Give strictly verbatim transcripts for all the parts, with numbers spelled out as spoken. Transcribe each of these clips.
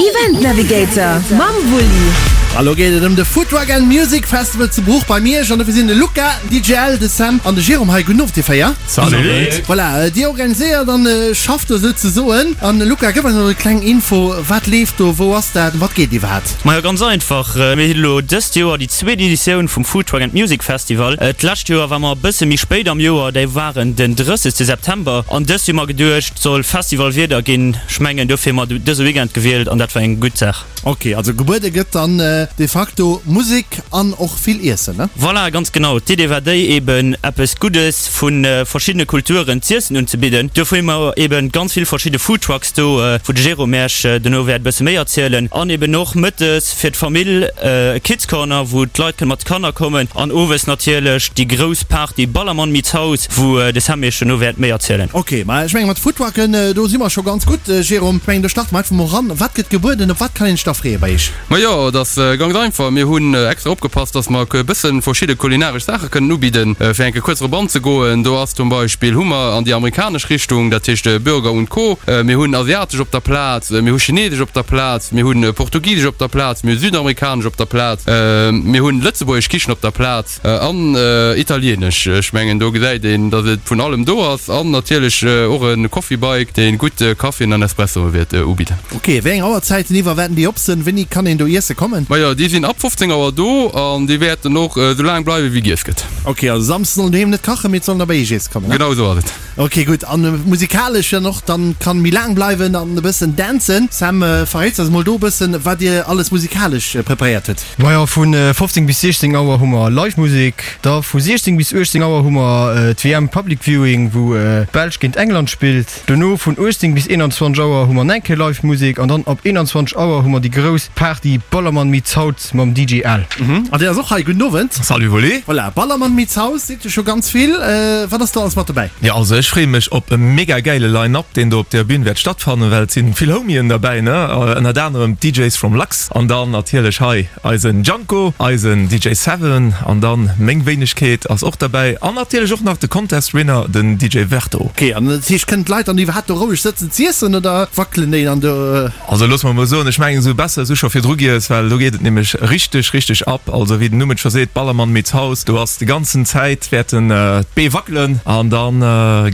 Event Navigator mam Wulli. A lo geet et ëm de Foodtruck and Music Festival zu Bruch bei Miersch an dofir sinn de Luca, den D J L, de Sam an de Jérôme hei. Gudden Owend dir véier. Salut. Voilà, dir organiséiert an schafft do souzesoen. An Luca, gëff eis nach e kleng Info, wat leeft do, wou ass dat, ëm wat geet iwwerhaapt? Majo, ganz einfach, mir hunn elo dëst Joer déi zweet Editioun vum Foodtruck and Music Festival. D'lescht Joer war mer e bësse méi spéit am Joer, déi waren den drëssegste September an dëst hu mer geduecht, soll Festivalwieder ginn. Ech mengen, dofir hu mer dëse Weekend gewielt an dat war eng gutt Saach. Ok, also gebuede gëtt dann de facto Musek an och vill Iessen, ne? Voilà, ganz genau. D'Idee war déi, eben eppes Guddes vu verschiddene Kulturen z'iessen unzebidden. Dofir hu mer eben ganz vill verschidde Foodtrucks do, wou de Jérôme Iech dono wäert e bësse méi erzielen. An eben och mëttes fir d'Famill e Kids Corner, wou d'Leit kënne mat de Kanner kommen. An owes natierlech déi grouss Party Ballermann meets House, wou de Sam Iech dono wäert méi erzielen. Ok, ma ech menge mat Foodtrucken, do si mer scho ganz gutt, Jérôme. Ech mengen, do starte mer einfach mol eran. Wat gëtt gebueden? Op wat kann een sech da freeë bei Iech? Majo, et ass ganz einfach. Mir hunn extra opgepasst, dass mer e bësse verschidde kulinaresch Saache kënnen ubidden. Fir eng Kéier kuerz drop anzegoen, do ass zum Beispill, hu mer an déi amerikanesch Richtung, dat heescht Burger und Co. Mir hunn asiatesch op der Plaz, mir hu chinesesch op der Plaz, mir hu portugisesch op der Plaz, mir hu südamerikanesch op der Plaz, mir hunn lëtzebuergesch Kichen op der Plaz an italienesch. Ech mengen, do gesäit een, dass et vun allem do ass. An natierlech och e Coffee Bike, dee gutt Kaffien an Espressoe wäert ubidden. Ok, wéi eng Auerzäiten iwwer wäerten déi op sinn? Wéini kann een do iesse kommen? Majo, déi sinn ab fofzéng Auer do an déi wäerten och esou laang bleiwen, wéi giess gëtt. Ok, also Samsdes sollen doheem net kachen, mee et sollen der bei iech iesse kommen, ne? Genau esou ass et. Ok, gutt. An musikalesch dann och, dann kann méi laang bleiwen an e bëssen dancen. Sam, verréits eis mol do e bëssen, wat dir alles musikalesch preparéiert hutt. Majo, vu fofzéng bis siechzéng Auer hu mer Live Musek. Da vu siechzéng bis uechtzéng Auer hu mer d'W M Public Viewing, wou d'Belsch géint England spillt. Dono vun uechtzéng bis eenanzwanzeg Auer hu mer nach eng Kéier Live Musek an dann ab eenanzwanzeg Auer hu mer déi grouss Party Ballermann meets Haut mam D J Al. An deen ass och hei. Gudden Owend. Salut Wulli. Voilà, Ballermann meets Haus seet jo scho ganz vill. Wat ass do alles mat dobäi? Jo, also ech freeë mech op e mega gäile Line-Up, deen do op der Bühn wäert stattfannen, well et sinn vill Homien derbäi, ne? Ënnert anerem d'D Js from Lux an dann natierlech hei eisen Janko, eisen D J Seven an dann meng Wéinegkeet ass och derbäi an natierlech och nach de Contest Winner, den D J Verto. Ok, an dat heescht, kënnen d'Leit dann iwwerhaapt do roueg sëtzen z'iessen oder wackelen déi dann do? Also looss mer mol soen, ech mengen esou besser esou scho virdru giess, well do geet et nämlech richteg, richteg ab. Also wéi den Numm et scho seet, Ballermann meets House, do ass déi ganzen Zäit wäerten d'Bee wackelen an dann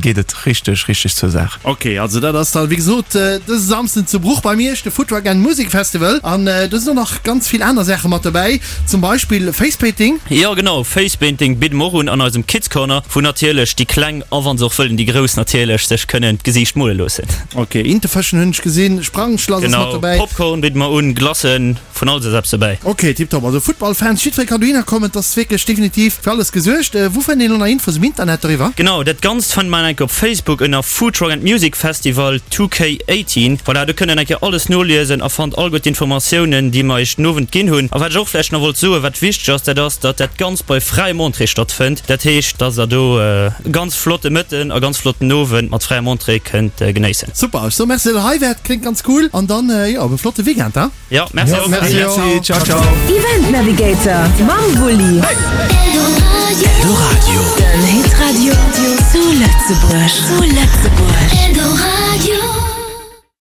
geet et richteg, richteg zur Saach. Ok, also dat ass dann wéi gesot dëse Samsden zu Bruch bei Miersch, de Foodtruck and Music Festival an do sinn och nach ganz vill aner Saache mat dobäi, zum Beispill Facepainting. Jo genau, Facepainting bidde mer och un an eisem Kids Corner, wou natierlech déi Kleng a wann se och wëllen déi Grouss natierlech sech kënnen d'Gesiicht mole loossen. Ok, Intefëschen hunn ech gesinn, Sprangschlass ass mat dobäi. Genau, Popcorn bidde mer un, Glacen, vun alles ass eppes dobäi. Ok, tiptop, also Footballfans, jiddweree kann dohinner kommen, et ass wierklech definitiv fir alles gesuergt. Wou fënnt een elo nach Infos um Internet doriwwer? Genau, dat Ganzt fënnt man enke op Facebook ënner Food Truck and Music Festival two K eighteen. Voilà, do kënnt een enke alles noliesen a fannt all gutt d'Informatiounen, déi mer iech den Owend ginn hunn. A wat ech och vläicht nach wollt soen, wat wichteg ass, dat ass, datt dat Ganzt bei fräiem Entrée stattfënnt. Dat heescht, datt der do e ganz flotte Mëtten a ganz flotten Owend mat fräiem Entrée kënnt genéissen. Super, ech soe Merci, datt der hei waart, kléngt ganz cool an dann, jo, op e flotte Weekend, he? Jo, merci och. Merci, ciao, ciao. Event Navigator mam Wulli. Eldoradio. Den Hitradio zu Lëtzebuerg. Zu Lëtzebuerg. Eldoradio.